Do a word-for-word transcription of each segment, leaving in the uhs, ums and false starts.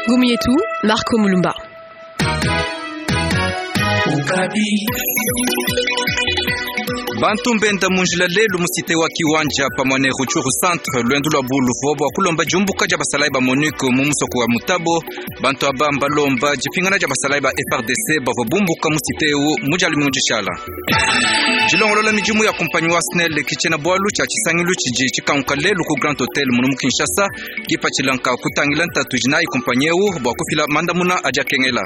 Ngumu yetu Marco Mulumba. Bantu mbenda munjila lelu musite wa Kiwanja pamwe ne Rutshuru centre lwendu lwa buluvo bwa kulomba diumbuka dia basalayi ba MONUC mu musoko wa Mutabo. Bantu aba mbalomba dipingana dia basalayi ba F R D C bavua bumbuka musite eu mu dia lumingu dishala. Dilongolola midimu ya kumpanyi wa SNEL kitshena bwalu tshia tshisangilu tshidi tshikanguka lelu ku Grand Hotel munu mu Kinshasa kipatshilanka kutangila ntatu idi nayi kumpanyi eu bua kufila mandamuna adi akengela.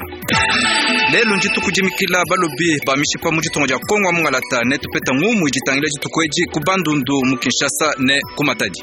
Lelu ndituku dimikila balobi ba mishipa mu ditunga dia Kongo mungalata ne tupeta ngumu iditangila dituku edi ku Bandundu mu Kinshasa ne ku Matadi.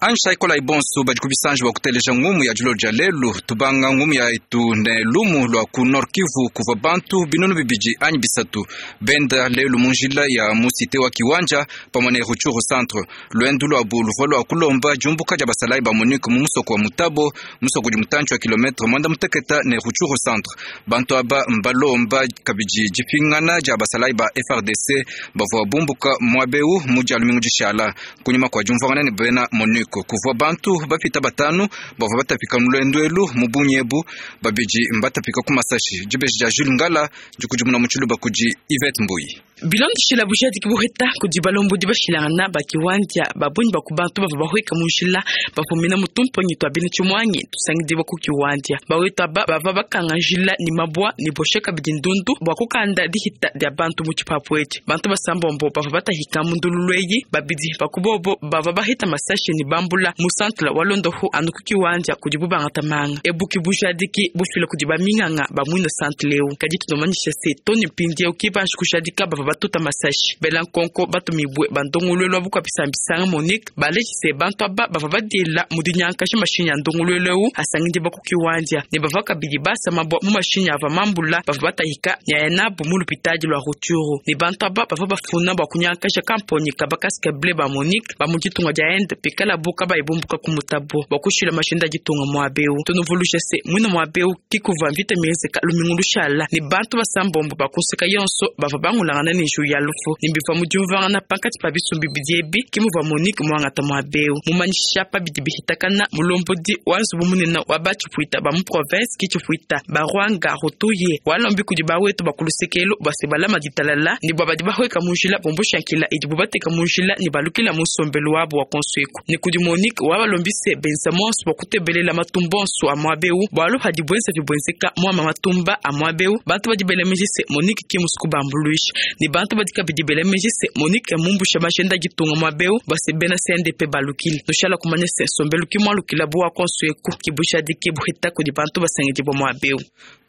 Ansha ikola ibonso badi kubisanji bua kuteleja ngumu ya dilo dia lelu tubanga ngumu ya itu ne lumu lua ku Nord Kivu kuva bantu binunu bibidi anyi bisatu benda lelu munjila ya musite wa Kiwanja pamwe ne Rutshuru centre lwendu lua buluvo lua kulomba diumbuka dia basalayi ba MONUC mu musoko wa Mutabo musoko udi mutantshi wa kilometre mwanda muteketa ne Rutshuru centre. Bantu aba mbalomba kabidi dipingana dia basalayi ba F R D C bavua bumbuka muabeu mu dia lumingu dishala kunyuma kua diumvuangana ne bena MONUC. Kuvua bantu bapita batanu bavua batapika mu lwendu elu mu bunyebu babidi mbatapika ku masashi. Dibeji dia Jules Ngala dikudimuna mu tshiluba kudi Yvette Mbuyi. Bilondeshela bujadiki buheta kudi balombodi bashilangana ba Kiwanja babunyi ba ku bantu bavua bahweka mu njila bafumina mu tumponyi twa bena tshimwanyi tusangidibwa ku Kiwanja. Bawetu aba bava bakanga njila ni mabwa ni boshe kabidi ndundu bua kukanda dihita dia bantu mu tshipapu etshi. Bantu basambombo bavua batahika mu ndululu eyi babidi bakubobo bavua bahita masashi ni bambula mu centre wa Londoho anu ku Kiwanja kudi bubangata manga. Ebuki bujadiki bufila kudi baminganga ba mwina centre leo. Kadi tunomanyisha se toni mpindieu kibanji kujadika bavua batuta masashi. Bela nkonko batumibwe bandongolwelo wa bukwapisambisanga Monique balejise bantu aba bavua badiela mu dinyankasha mashinyi ya ndongolwelo eu asangidi ba ku Kiwanja ne bavua kabidi basa mabwa mu mashinyi ava mambula bavua batahika nyaya nabo mu lupitadi lwa Rutshuru. Ne bantu aba bavua bafuna bua kunyankasha kamponyi ka bakaske ble ba Monique ba mu ditunga dia Inde pikala bo kabayi bumbuka ku Mutabo bua kushila mashinda ditunga muabeu. Tunuvulusha se mwina muabeu kikuva mvita miezeka lumingu lushala ne bantu basambombo bakuseka yonso bavua bangulangana ne nju ya lufu ne bivua mu diumvuangana pankatshi pa bisumbi bidiebi ke muvua Monique muangata muabeu. Mumanyisha pa bidi bihitakana mulombodi wa nzubu munene wa batshipuita ba mu province kitshipuita ba Rwanga Rutuye walombi kudi bawetu bakulusekelo bua se balama ditalala ne bua badi bahweka mu njila bumbushankila idibu bateka mu njila ne balukila mu nsombelu wabu wa konsueku. Ne kudi Monique wabalombise benza monso bua kutebelela matumba onso a muabeu bualu hadi bwenza bibwenzeka muama matumba a muabeu bantu badi bela meji se Monique ki musuku bambuluisha ne bantu badi kabidi bela meji se Monique mumbusha majenda ditunga muabeu bua se bena C N D P balukile. Tushala kumanya se nsombelu ki mualukila bua konsueku kibushadiki buhita kudi bantu basangidibwa muabeu.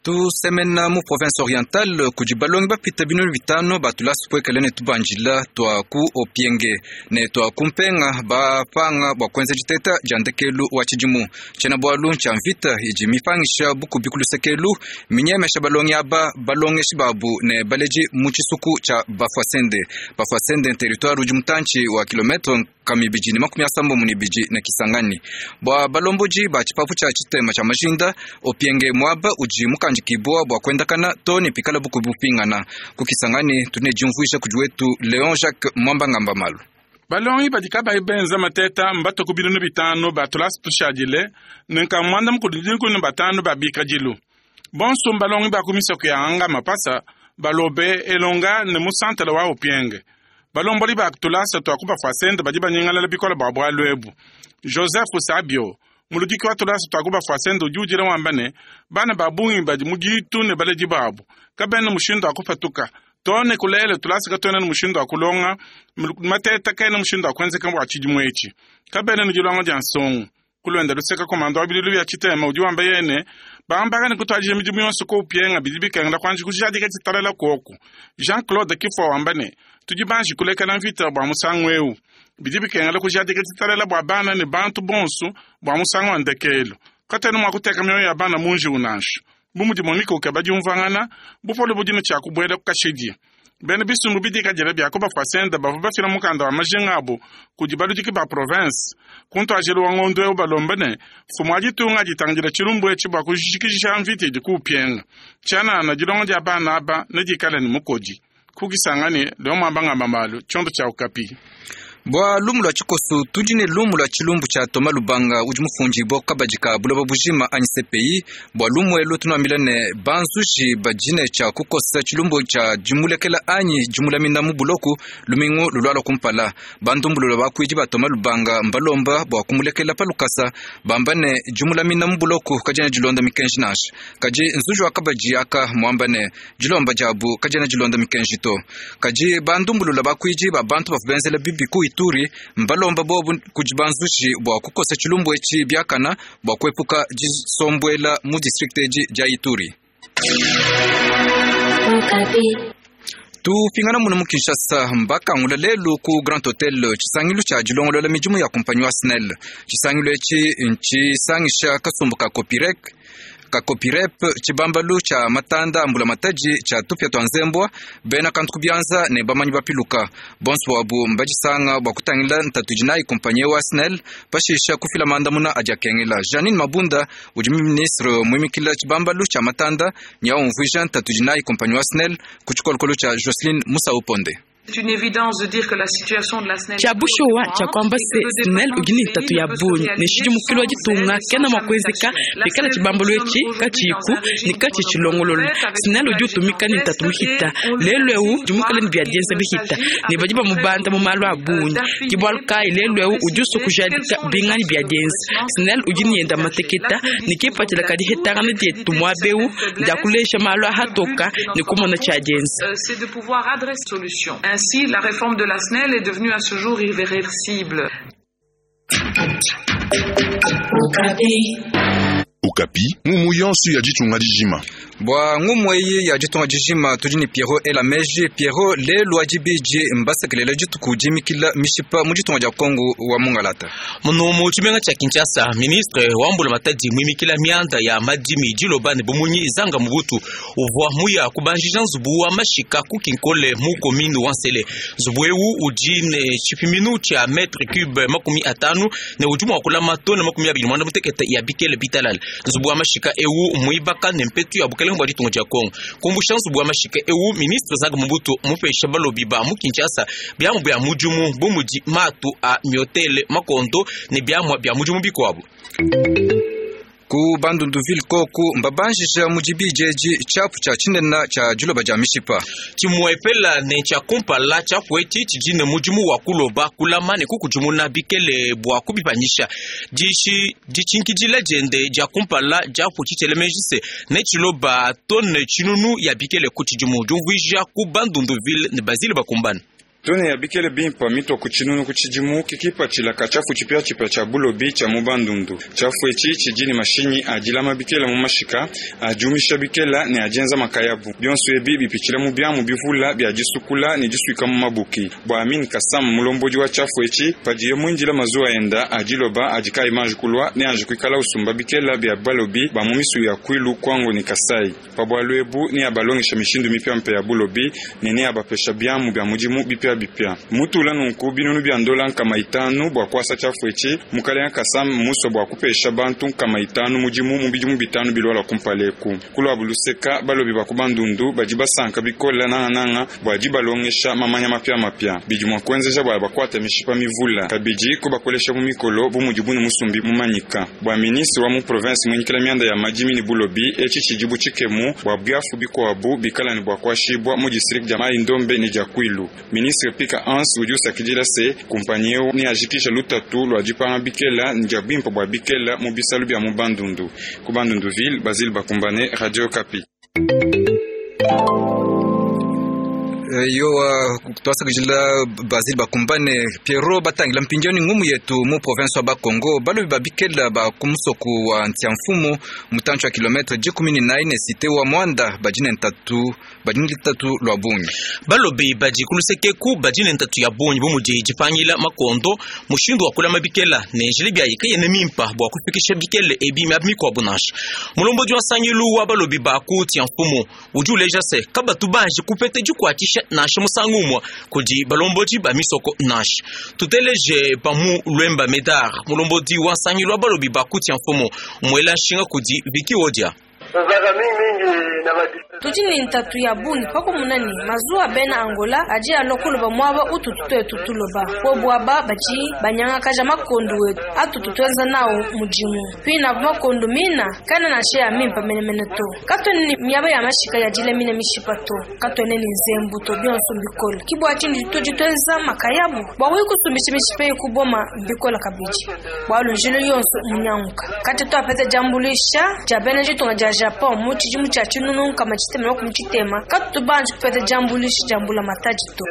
Tusemena mu province orientale kudi balongi bapita binunu bitano batulasi puekele ne tubanjila twa ku Opienge ne twa kumpenga bapanga bua kuenza diteta dia ndekelu wa tshidimu. Tshiena bualu tshia mvita idi mipangisha bukubi ku lusekelu minyemesha balongi aba balongeshi babu ne baleji mu tshisuku tshia Bafwasende. Bafwasende territoire udi mutantshi wa kilometre kamibidi ne makumi asambombo ne ibidi ne Kisangani. Bua balombodi ba tshipapu tshia tshitema tshia majinda Opienge mwaba udi mukandikibwa bua kuendakana to ne pikala bukubi bupingana ku Kisangani. Tune diumvuija kudi wetu Léon Jacques Mwamba Ngamba Malu. Balongi badi kabayi benza mateta mbato ku binunu bitano batulasi tushadile ne nkamwanda mukulu dikumi ne batano ba bikadilu. Bonso mbalongi ba ku misoko ya anga mapasa balobe elonga ne musantala wa Opienge. Balomboli ba tulasa twa ku Bafwasende badi banyingalala bikola bua bualu ebu. Joseph Sabio muludiki wa tulasa twa ku Bafwasende udi udila wamba ne bana ba bungi badi mu ditu ne baledi babu kabena mushindu wa kupatuka tone kulele tulasa katwena ne mushindu wa kulonga mateta kena mushindu wa kuenzeka bua tshidimu etshi kabena ne dilonga dia nsongo. Kulwenda luseka komando wa bilulu bya tshitema udi wamba yene bambaka ne kutwadija midimu yonso ku Opienga bidi bikengela kuanji kujadika tshitalala koku. Jean-Claude Kifwa wamba ne tudi banji kulekela mvita bua musangu eu bidi bikengela kujadika tshitalala bua bana ne bantu bonso bua musangu wa ndekelu. Katena mua kuteka mioyo ya bana munji unansha bu mudi Monique ukeba diumvuangana bupole budi ne tshia kubuela ku kashidi. Bena bisumbu bidikadile bia kubafwasenda bavua bafila mukanda wa majinga abu kudi baludiki ba province. Kuntuajelu wa ngondo eu balomba ne mfumu wa ditunga ditangila tshilumbu etshi bua kujikijisha mvita idi kuupienga. Tshianana dilonga dia bana aba nedikale ne mukodi. Kukisangane leo mwambangamba malu tshiondo tshia Okapi. Bua lumu lua tshikosu tudi ne lumu lua tshilumbu tshia Toma Lubanga udi mufundibua kabadi ka buloba bujima anyi C P I. Bua lumu elu tunuambila ne banzuji badine tshia kukosa tshilumbu tshia dimulekela anyi dimulamina mu buloku lumingu lulualua kumpala. Bandumbulula bakuidi ba Toma Lubanga mbalomba bua kumulekela pa lukasa bamba ne dimulamina mu buloku kadiena dilonda mikenji nansha. Kadi nzuji wa kabadi aka muamba ne dilomba diabu kadiena dilonda mikenji to. Kadi bandumbulula bakuidi ba bantu bavua benzela bibi ku Ituri mbalomba bobu kudi banzuji bua kukosa tshilumbu etshi biakana bua kuepuka disombwela mu district edi dia Ituri. Tupingana muno mu Kinshasa mbakangula lelu ku Grand Hotel tshisangilu tshia dilongolola midimu ya kumpanyi wa SNEL. Tshisangilu etshi ntshisangisha kasumbu ka Copirec ka Copirep tshibambalu tshia matanda ambula matadi tshia tupia twa nzembwa bena kantu kubianza ne bamanyi bapiluka. Bonso wabu mbadisanga bua kutangila ntatu dinayi kumpanyi wa SNEL pashisha kufila mandamuna adi akengela. Janine Mabunda udi ministre muimikila tshibambalu tshia matanda nyaumvuija ntatu dinayi kumpanyi wa SNEL ku tshikolokolo tshia Jocelyn Musauponde. Tshia bushuwa tshia kwamba se SNEL udi ne ntatu ya bungi ne tshidi mukulu wa ditunga kena mua kuenzeka bikala tshibambalu etshi katshiyiku ne katshi tshilongolola. SNEL udi utumika ne ntatu mihita lelu eu udi muikale ne bia dienza bihita ne badi bamubanda mu malu a bungi. Ke bualu kayi lelu eu udi usua kujadika bingani bia dienza. SNEL udi ne yenda mateketa ne kipatshila kadi hetangana dietu muaba eu ndia kulesha malu a hatoka ne kumona tshia dienza. Ainsi, la réforme de la S N E L est devenue à ce jour irréversible. Okapi, ngumu yonso ya ditunga dijima. Bwa ngumu eyi ya ditunga dijima tudi ne Pierrot Elameji. Pierrot lelu adibidi mbasekelela dituku dimikila mishipa mu ditunga dia Kongo wa Mungalata. Muno mu tshimenga tshia Kinshasa, ministre wa mbula matadi muimikila mianda ya madimi diloba ne bumunyi zanga mubutu uvua muya kubanjija nzubu wa mashika ku Kinkole mu commune wa Nsele. Nzubu eu udi ne tshipiminu tshia mètre cube makumi atanu ne udi mua kulama tone makumi abidi muanda mutekete ya bikele bitalala. Nzubu wa mashika eu muibaka ne mpetu ya bukelenge bua ditunga dia Kongo. Kumbusha nzubu wa mashika eu ministre zanga mubutu mupesha balobi ba mu Kinshasa biamu bia mudimu bu mudi matu a miotele makondo ne biamu bia mudimu bikuabu. Ku Bandunduville koku mbabanjija mudibidi edi tshiapu tshia tshinene tshia diloba dia mishipa. Tshimuepela ne tshia kumpala tshiapu etshi tshidi ne mudimu wa kuloba kulama ne kukudimuna bikele bua kubipanyisha. Dishi ditshinkidila diende dia kumpala diapu tshitelemeji ne tshiloba tone tshinunu ya bikele ku tshidimu diumvuija ku Bandunduville ne Basile Bakumbana. Tone ya bikele bimpa mitwa ku tshinunu ku tshidimu kikipatshila tshiafu tshipiatshipia tshia bulobi tshia mu Bandundu. Tshiafu etshi tshidi ne mashinyi adilama bikela mu mashika adiumisha bikela ne adienza makayabu. Bionso ebi bipitshila mu biamu bivula bia disukula ne disuika mu mabuki. Bua Amin Kasam mulombodi wa tshiafu etshi padiye muindila mazuwa enda adiloba adikayi manji kulwa ne anji kuikala usumba bikela bia balobi ba mu misu ya Kwilu Kwango ne Kasai. Pabwalu ebu ne abalongesha mishindu mipiampe ya bulobi ne ne abapesha biamu bia mudimu bipia bipia. Mutula nunku binunu bia ndola nkama itanu bua kuasa tshiafu etshi mukalenga Kasam muso bua kupesha bantu nkama itanu mudimu mu bidimu bitanu bilwala kumpaleku. Kulwa buluseka balobi ba ku Bandundu badi basanka bikola nangananga bua dibalongesha mamanya mapia mapia. Bidi mua kuenzeja bua bakwata mishipa mivula kabidi kubakolesha mu mikolo bu mudibu ne musumbi mumanyika. Bua ministre wa mu province muinyikila mianda ya madimi ne bulobi etshi tshidibu tshikemu bua biafu bikuabu bikala ne bua kuashibua mu district dia Mai Ndombe ne dia Kwilu. Ministre Pika Hans udi usakidila se kumpanyi eu ne ajikisha lutatu lua dipanga bikela ndia bimpa bua bikela mu bisalu bia mu Bandundu. Ku Bandunduville, Basile Bakumbane, Radio Okapi. Yo twasakidila Basile Bakumbane. Pierrot batangila mpindiani ngumu yetu mu province wa Bakongo balobi babikela ba kumusoku wa Ntiamfumu mutancho wa kilometre dikumi ne nine cité wa Mwanda badine ntatu badine litatu lwa bungi. Balobi badi kulusekeku badine ntatu ya bungi bu mudi dipangila makondo mushindu wa kulama bikela ne njila bia yikeye ne mimpa bua kufikisha bikele ebi miaba mikuabu nansha. Mulombodi wa nsangilu wa balobi ba ku Ntiamfumu udi uleja se kabatu banji kupete dikuatshisha nansha musangu umue kudi balombodi ba misoko nansha. Tuteleje pamu Lwemba Medar, mulombodi wa nsangilu wa balobi ba kutia mfumu, muela nshinga kudi Viki Odia. Tudi ne ntatu ya bungi pakumuna ne mazuwa bena Angola adi alua kuloba muaba ututu tuetu tuloba bobu aba badi banyangakaja makondu wetu atutu tuenza nawo mudimu pina makondu mina kana nansha ya mimpa menemene to katuene ne miaba ya mashika ya dilamina mishipa to katuene ne nzembu to bionso mbikola kibua tshindi tudi tuenza makayabu bua kusumbisha mishipa eyi kuboma mbikola kabidi bualu njilo yonso munyanguka kati tuapeta diambuluisha dia bena ditunga dia Japon mu tshidimu tshia tshinunu nkama tshitema makumi tshitema katutu banji kupeta diambuluisha dia mbula matadi to.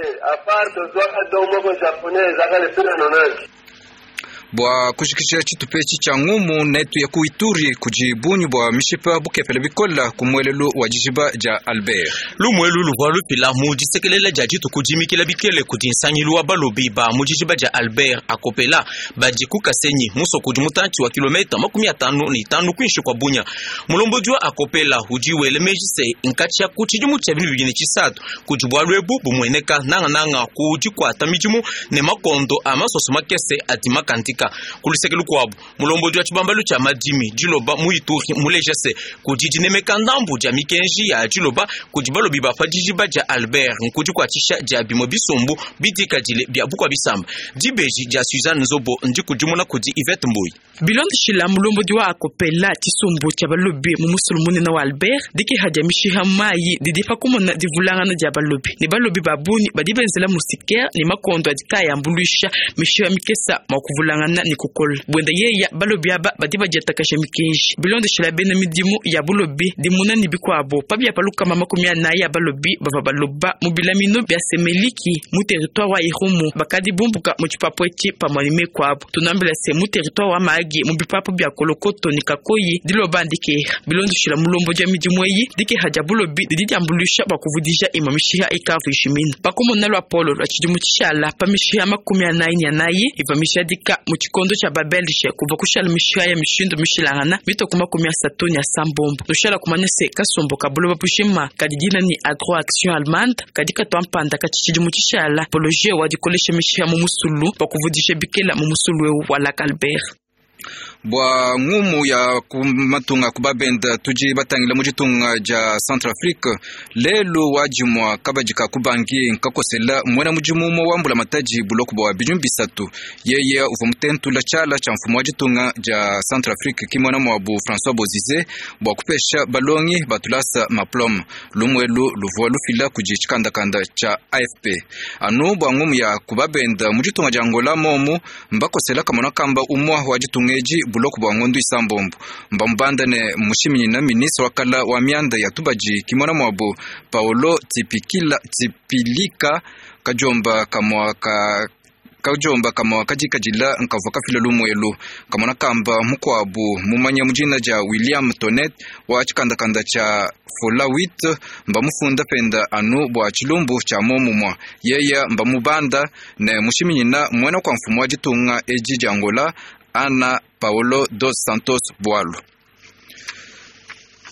Bua kushikisha tshitupa etshi tshia ngumu netu ya ku Ituri kudi bungi bua mishipa bukepele bikola ku muelelu wa dijiba dia Albert. Lumuelu luvua lupila mu disekelela dia dituku dimikila bikele kudi nsangilu wa balobi ba mu dijiba dia Albert akopela badi ku Kasenyi musoko udi mutantshi wa kilomita makumi atanu ne itanu kuinshi kua Bunya. Mulombodi wa akopela udi wela meji se nkatshia ku tshidimu tshia binu bibidi ne tshisatu kudi bualu ebu bumueneka nangananga ku dikuata midimu ne makondo a masoso makese adi makandika. Kuluseke lukuabu mulombodi wa tshibambalu tshia madimi diloba mu Ituri muleja se kudi dinemeka ndambu dia mikenji ya diloba kudi balobi ba pa dijiba dia Albert nkudi kuatshisha dia bimue bisumbu bidikadile bia bukua bisamba. Dibeji dia Suzanne Nzobo ndikudimuna kudi Yvette Mbuyi. Bilondeshila mulombodi wa akopela tshisumbu tshia balobi mu musulu munene wa Albert dikeha dia mishiha mayi didi pa kumona divulangana dia balobi ne balobi ba bungi badi benzela musikere ne makondo adi kayambuluisha mishiha mikesa mua kuvulangana ne kukola bwenda yeya balobi aba badi badiatakasha mikenji. Bilondeshila bena midimu ya bulobi dimuna ne bikuabo pabia palukama makumi anayi ya balobi bava baloba mu bilamino bia semeliki mu territoire wa Irumu bakadi bumbuka mu tshipapu etshi pamue ne mekuabo. Tunambila se mu territoire wa Mahagi mu bipapu bia Kolokoto ne Kakoyi diloba ndikeha. Bilondeshila mulombo dia midimu eyi dikeha dia bulobi didi diambuluisha bua kuvudija imue mishiha ikavu ishimina. Pakumona lua polo lua tshidimu tshishala pa mishiha makumi anayi ne anayi iva mishadika mu tshikondo tshia babelge kuva kushala mishiha ya mishindu mishilangana mitoku makumi asatu ne asambombo. Tushala kumanya se kasumbu ka buloba bushima kadi dina ni Agro Action Allemande kadi katua mpanda kati tshidimu tshishala poloje wa dikolesha mishiha mu musulu bua kuvudija bikela mu musulu ewu wa Lac Albert. Bua ngumu ya kumatunga kubabenda tudi batangila mu ditunga dia Centrafrique lelu wajimwa kabadika kubangi nkakosela mwena mudimu umue wa mbula matadi buloko bua bidimu bisatu yeye uvua mutentula tshiala tshia mfumu wa ditunga dia Centrafrique kimwana muabu François Bozize bua kupesha balongi batulasa maplome lumuelu luvua lufila kudi tshikandakanda tshia A F P. Anu bua ngumu ya kubabenda mu ditunga dia Angola momu mbakosela kamona kamba umua wa ditunga edi buloko bua ngondu isambombo mbamubanda ne mushiminyina ministre wakala wa mianda ya tubaji kimona mwabo Paolo Tipikila Tipilika kajomba kamwa ka kajomba kamwa kajikajila nkavua kafila lumuelu kamona kamba mukuabu mumanya mujina dia William Tonet wa tshikandakanda tshia Folawit mbamufunda penda anu bua tshilumbu tshia momumwa yeya mbamubanda ne mushiminyina mwena kwa mfumu wa ditunga edi dia Angola Ana Paolo dos Santos Boalo.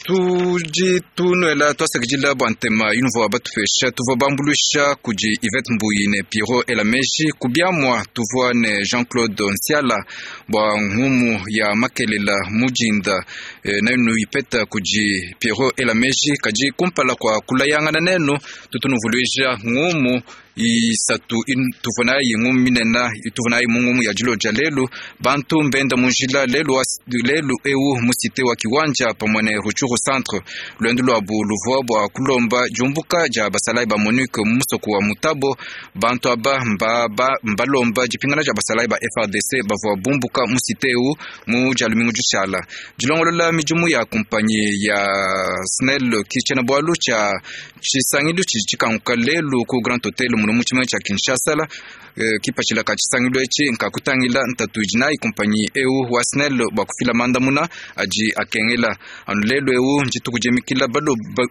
Tudi tunuela twasakidila bua ntema yunuvua batupesha tuvua bambuluisha kudi Yvette Mbuyi ne Piro Elameji kubiamua tuvua ne Jean-Claude Nsiala bua ngumu ya makelela mujinda e, nayunu ipeta kudi Piro Elameji kadi kumpala kwa kulayangana nenu tutunuvuluisha ngumu isatu tuvua nayi ngumu minena tuvua nayi mu ngumu ya diloja lelu bantu mbenda munjila lelu, lelu ewu musite wa kiwanja pamue ne Rutshuru centre lwendo lwabu luvua bua kulomba diumbuka dia basalayi ba MONUC mu musoko wa Mutabo bantu aba mbalomba dipingana dia basalayi ba F R D C bavua bumbuka musite ewu mu dia lumingu dishala dilongolola midimu ya kumpanyi ya SNEL kitshena bualu tshia tshisangilu tshidi tshikanguka lelu ku Grand Hotel muno mu tshimenga tshia Kinshasa E, kipatshila ka tshisangilu etshi nkakutangila ntatu idi nayi kumpanyi eu wa SNEL bua kufila mandamuna adi akengela. Anu lelu eu ndituku diemikila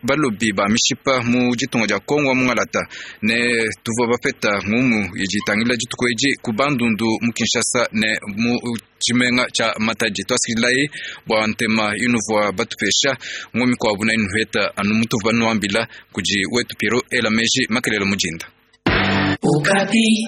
balobi ba mishipa mu ditunga dia Kongo wa Mungalata ne tuvua bapeta ngumu idi itangila dituku edi ku Bandundu mu Kinshasa ne mu tshimenga tshia Matadi. Twasikilayi bua ntema inuvua batupesha ngumi kwabu na inuheta anu mutuva nuambila kudi wetu Piero ela meji makelela mujinda. Okapi.